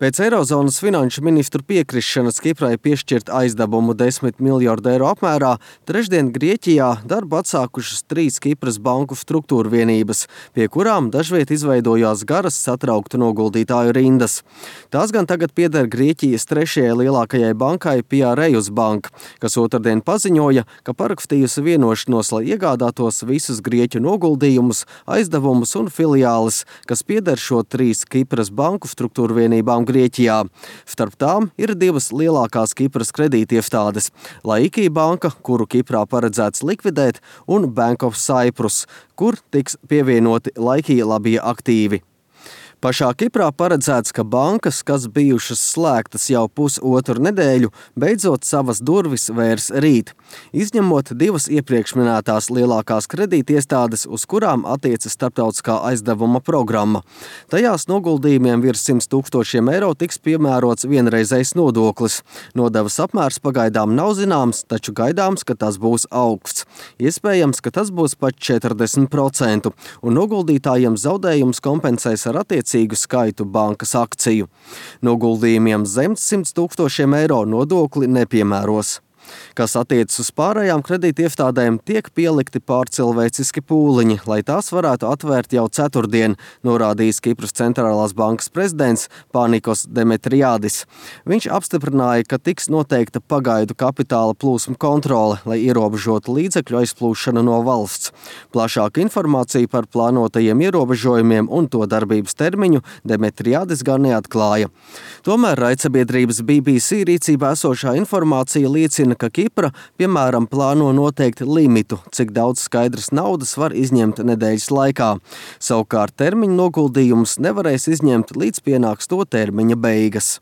Pēc Eirozonas finanšu ministru piekrišanas Kiprai piešķirt aizdevumu 10 miljardu eiro apmērā, trešdien Grieķijā darbu atsākušas 3 Kipras banku struktūra vienības, pie kurām dažviet izveidojās garas satrauktu noguldītāju rindas. Tās gan tagad pieder Grieķijas trešajai lielākajai bankai Piraeus Bank, kas otrdien paziņoja, ka parakstījusi vienošanos, lai iegādātos visus Grieķu noguldījumus, aizdevumus un filiāles, kas pieder šo 3 Kipras banku struktūra vienībām Grieķijā. Starp tām ir 2 lielākās Kipras kredītiestādes – Laiki banka, kuru Kiprā paredzēts likvidēt, un Bank of Cyprus, kur tiks pievienoti Laiki labie aktīvi. Pašā Kiprā paredzēts, ka bankas, kas bijušas slēgtas jau pusotru nedēļu, beidzot savas durvis vērs rīt, izņemot 2 iepriekš minētās lielākās kredītiestādes, uz kurām attiecas starptautiskā aizdevuma programma. Tajās noguldījumiem virs 100 000 eiro tiks piemērots vienreizējs nodoklis. Nodevas apmērs pagaidām nav zināms, taču gaidāms, ka tas būs augsts. Iespējams, ka tas būs pat 40%, un noguldītājiem zaudējums kompensēs ar skaitu bankas akciju. Noguldījumiem zem 100 000 eiro nodokli nepiemēros. Kas attiecas uz pārējām kredītiestādēm, tiek pielikti pārcilvēciski pūliņi, lai tās varētu atvērt jau ceturtdien, norādījis Kipras centrālās bankas prezidents Panikos Demetriādis. Viņš apstiprināja, ka tiks noteikta pagaidu kapitāla plūsmu kontrole, lai ierobežotu līdzekļu aizplūšanu no valsts. Plašāku informāciju par plānotajiem ierobežojumiem un to darbības termiņu Demetriādis gan neatklāja. Tomēr raidsabiedrības BBC rīcībā esošā informācija liecina, ka Kipra, piemēram, plāno noteikt limitu, cik daudz skaidras naudas var izņemt nedēļas laikā. Savukārt termiņu noguldījumus nevarēs izņemt, līdz pienāks to termiņa beigas.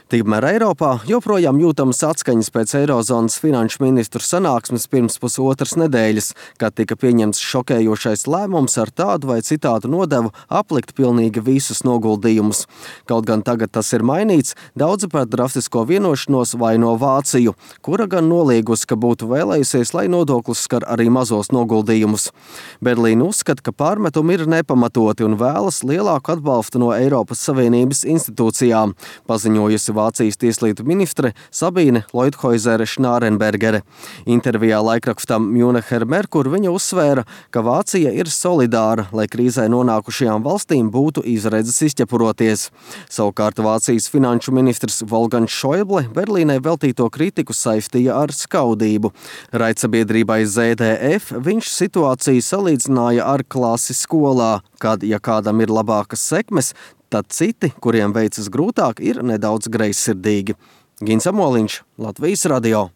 Tikmēr Eiropā joprojām jūtamas atskaņas pēc Eirozonas finanšu ministru sanāksmes pirms pusotras nedēļas, kad tika pieņemts šokējošais lēmums ar tādu vai citādu nodevu aplikt pilnīgi visus noguldījumus. Kaut gan tagad tas ir mainīts, daudzi par drastisko vienošanos vaino Vāciju, kura gan noliegusi, ka būtu vēlējusies, lai nodoklis skar arī mazos noguldījumus. Berlīna uzskata, ka pārmetumi ir nepamatoti un vēlas lielāku atbalstu no Eiropas Savienības institūcijām, paziņojusi Vācijas tieslietu ministre Sabīne Leuthoizere-Schnarrenbergere. Intervijā laikrakstam Münecher Merkur viņa uzsvēra, ka Vācija ir solidāra, lai krīzē nonākušajām valstīm būtu izredzes izķepuroties. Savukārt Vācijas finanšu ministrs Wolfgangs Schäuble Berlīnai veltīto kritiku saistīja ar skaudību. Raidsabiedrībai ZDF viņš situāciju salīdzināja ar klasi skolā, kad, ja kādam ir labākas sekmes, tad citi, kuriem veicas grūtāk, ir nedaudz greizsirdīgi. Gins Amoliņš, Latvijas radio.